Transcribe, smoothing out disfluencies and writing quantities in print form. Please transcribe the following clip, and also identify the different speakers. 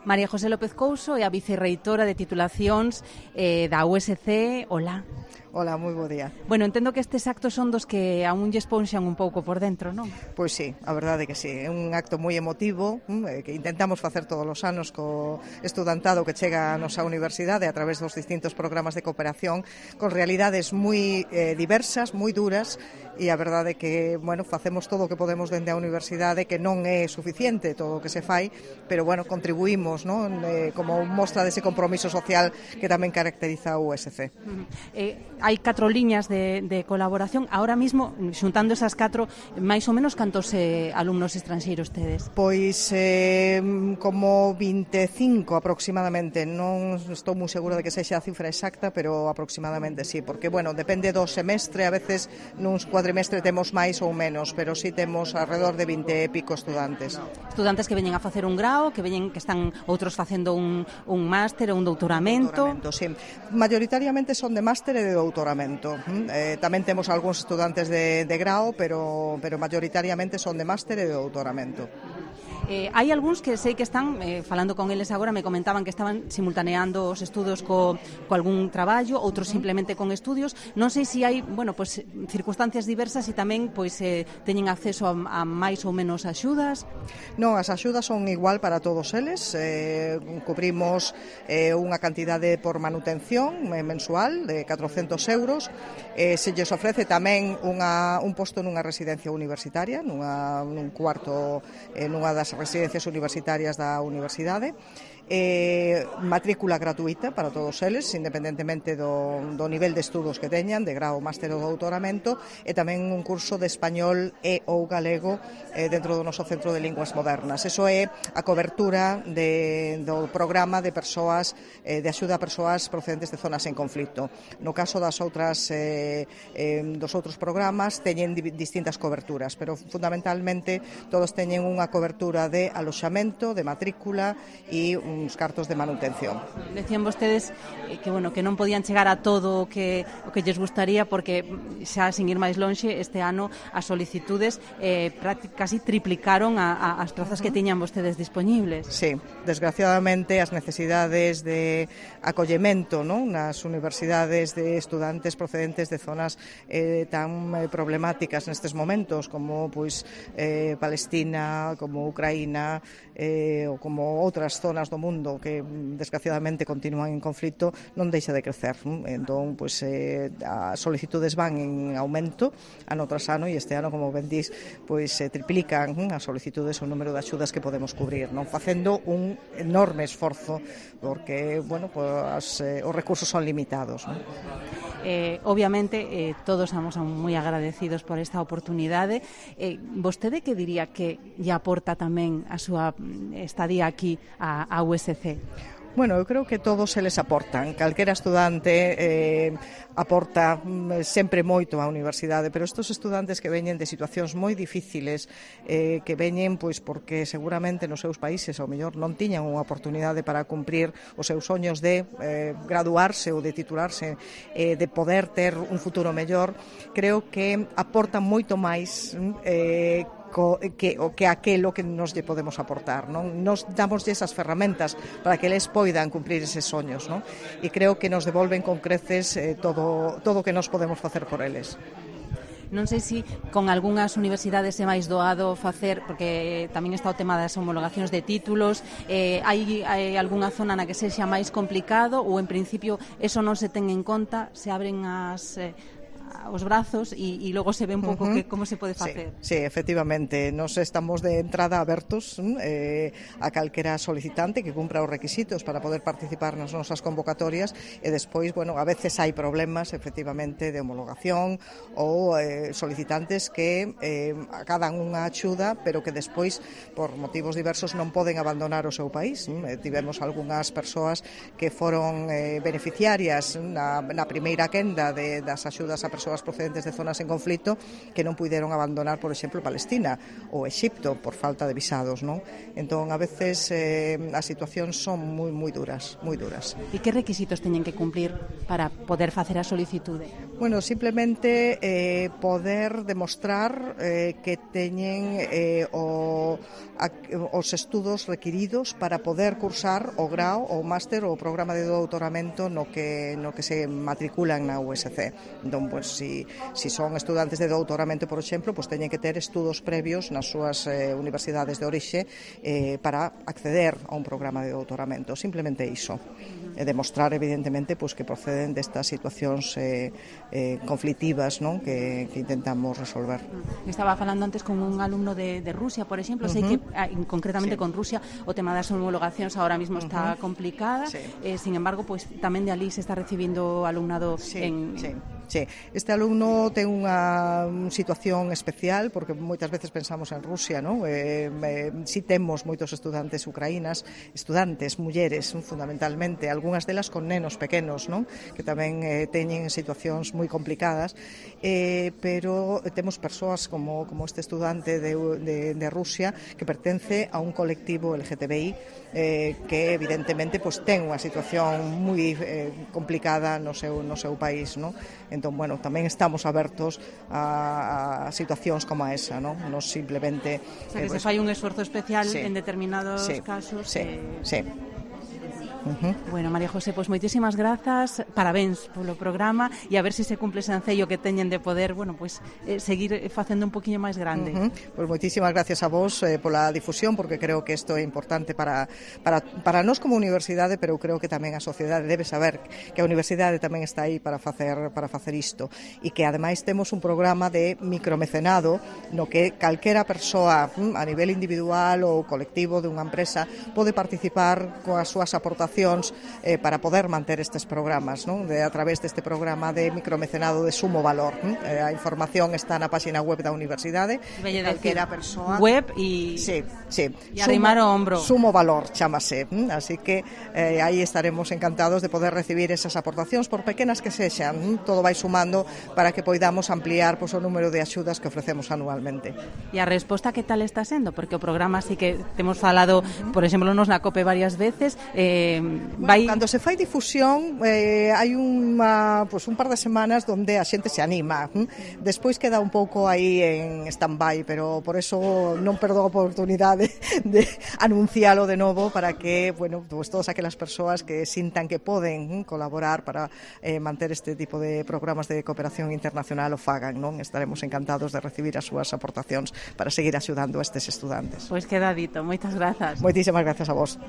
Speaker 1: María José López Couso é a vicerreitora de titulacións da USC. Hola.
Speaker 2: Hola, moi bo día.
Speaker 1: Bueno, entendo que estes actos son dos que aún lle esponxan un pouco por dentro, non?
Speaker 2: Pois sí, a verdade que sí. É un acto moi emotivo que intentamos facer todos os anos co estudantado que chega a nosa universidade a través dos distintos programas de cooperación con realidades moi diversas, moi duras, e a verdade que, bueno, facemos todo o que podemos dende a universidade, que non é suficiente todo o que se fai, pero, bueno, contribuímos, non? Como mostra dese compromiso social que tamén caracteriza a USC.
Speaker 1: Hai 4 liñas de colaboración. Ahora mismo, xuntando esas 4, máis ou menos cantos alumnos estranxeiros tedes?
Speaker 2: Pois como 25 aproximadamente. Non estou moi segura de que sexa a cifra exacta, pero aproximadamente sí, porque, bueno, depende do semestre, a veces nuns cuadrimestre temos máis ou menos, pero sí temos alrededor de 20 e pico estudantes.
Speaker 1: Estudantes que veñen a facer un grao, que están outros facendo un máster ou un doutoramento.
Speaker 2: Sí. Mayoritariamente son de máster e de doutoramento. Tamén temos algúns estudantes de grao, pero mayoritariamente son de máster e de doutoramento.
Speaker 1: Hai algúns que sei que están, falando con eles agora, me comentaban que estaban simultaneando os estudos co algún traballo, outros simplemente con estudios. Non sei se hai, bueno, pues, circunstancias diversas e tamén pois teñen acceso a máis ou menos axudas.
Speaker 2: Non, as axudas son igual para todos eles. Cubrimos unha cantidade por manutención mensual de 400 euros. Se lles ofrece tamén un posto nunha residencia universitaria, nun cuarto, nunha das residencias universitarias da universidade. Matrícula gratuita para todos eles, independentemente do nivel de estudos que teñan, de grao, máster ou doutoramento, e tamén un curso de español e ou galego dentro do noso Centro de Linguas Modernas. Eso é a cobertura do programa de persoas, de axuda a persoas procedentes de zonas en conflito. No caso dos outros programas teñen distintas coberturas, pero fundamentalmente todos teñen unha cobertura de aloxamento, de matrícula e uns cartos de manutención.
Speaker 1: Decían vostedes que, bueno, que non podían chegar a todo o que lles gustaría, porque xa, sin ir máis lonxe, este ano as solicitudes casi triplicaron as plazas que tiñan vostedes dispoñibles.
Speaker 2: Sí, desgraciadamente as necesidades de acollemento, non, nas universidades de estudantes procedentes de zonas tan problemáticas nestes momentos como pois Palestina, como Ucraína, ou como outras zonas do mundo que desgraciadamente continúan en conflito, non deixa de crecer. Entón, pois, as solicitudes van en aumento ano tras ano, e este ano, como ben dís, pois se triplican as solicitudes, o número de axudas que podemos cubrir, non, facendo un enorme esforzo, porque, bueno, pois, os recursos son limitados, non?
Speaker 1: Obviamente todos estamos moi agradecidos por esta oportunidade. Vostede que diría que lle aporta tamén a súa estadía aquí a USC?
Speaker 2: Bueno, eu creo que todos eles aportan. Calquera estudante aporta sempre moito á universidade, pero estes estudantes que veñen de situacións moi difíciles, que veñen pois porque seguramente nos seus países ao mellor non tiñan unha oportunidade para cumprir os seus soños de graduarse ou de titularse, de poder ter un futuro mellor, creo que aportan moito máis que aquelo que nos lle podemos aportar, non? Nos damos esas ferramentas para que eles poidan cumprir eses soños, non? E creo que nos devolven con creces todo o que nos podemos facer por eles.
Speaker 1: Non sei se con algunhas universidades é máis doado facer, porque tamén está o tema das homologacións de títulos, hai algunha zona na que sexa máis complicado, ou en principio eso non se ten en conta, se abren os brazos e logo se ve un pouco que como se pode facer.
Speaker 2: Sí, efectivamente, nos estamos de entrada abertos a calquera solicitante que cumpra os requisitos para poder participar nas nosas convocatorias, e despois, bueno, a veces hai problemas efectivamente de homologación ou solicitantes que acadan unha axuda, pero que despois por motivos diversos non poden abandonar o seu país. Tivemos algunhas persoas que foron beneficiarias na primeira quenda das axudas a persoas procedentes de zonas en conflito que non puideron abandonar, por exemplo, Palestina ou Exipto por falta de visados, non? Entón, a veces as situacións son moi duras, moi duras.
Speaker 1: E que requisitos teñen que cumplir para poder facer a solicitude?
Speaker 2: Bueno, simplemente poder demostrar que teñen os estudos requiridos para poder cursar o grao, o máster ou o programa de doutoramento no que se matriculan na USC. Entón, pues, si son estudantes de doutoramento, por exemplo, pues teñen que ter estudos previos nas súas universidades de orixe para acceder a un programa de doutoramento. Simplemente iso. E demostrar, evidentemente, pues, que proceden destas situacións conflitivas, non? Que intentamos resolver.
Speaker 1: Estaba falando antes con un alumno de Rusia, por exemplo, sei que concretamente con Rusia o tema das homologacións ahora mismo está complicada, sin embargo, pues tamén de alí se está recibindo alumnado
Speaker 2: Sí, este alumno ten unha situación especial porque moitas veces pensamos en Rusia, non? Si temos moitos estudantes ucraínas, estudantes, mulleres, fundamentalmente, algunhas delas con nenos pequenos, non? Que tamén teñen situacións moi complicadas, pero temos persoas como este estudante de Rusia que pertence a un colectivo LGTBI que evidentemente pues, ten unha situación moi complicada no seu país, non? Entón, bueno, tamén estamos abertos a situacións como esa, non? Non simplemente...
Speaker 1: O sea, que se fai un esforzo especial en determinados casos.
Speaker 2: Sí.
Speaker 1: Bueno, María José, pois moitísimas grazas, parabéns polo programa e a ver se cumple ese ancello que teñen de poder, bueno, pois seguir facendo un poquinho máis grande.
Speaker 2: Pois moitísimas gracias a vos pola difusión, porque creo que isto é importante para nós como universidade, pero eu creo que tamén a sociedade debe saber que a universidade tamén está aí para facer isto, e que ademais temos un programa de micromecenado no que calquera persoa a nivel individual ou colectivo de unha empresa pode participar coas súas aportacións para poder manter estes programas, non? A través deste programa de micromecenado de sumo valor. A información está na página web da universidade.
Speaker 1: Calquera persoa web e arrimar o ombro.
Speaker 2: Sumo valor, chámase. Así que aí estaremos encantados de poder recibir esas aportacións, por pequenas que sexan. Todo vai sumando para que poidamos ampliar o número de axudas que ofrecemos anualmente.
Speaker 1: E a resposta que tal está sendo? Porque o programa sí que temos falado, por exemplo, nos na COPE varias veces,
Speaker 2: cando se fai difusión hai un par de semanas onde a xente se anima, despois queda un pouco aí en stand-by, pero por eso non perdo a oportunidade de anuncialo de novo para que, bueno, pues todas aquelas persoas que sintan que poden colaborar para manter este tipo de programas de cooperación internacional o fagan, non? Estaremos encantados de recibir as súas aportacións para seguir axudando a estes estudantes.
Speaker 1: Pois queda dito, moitas grazas.
Speaker 2: Moitísimas grazas a vos.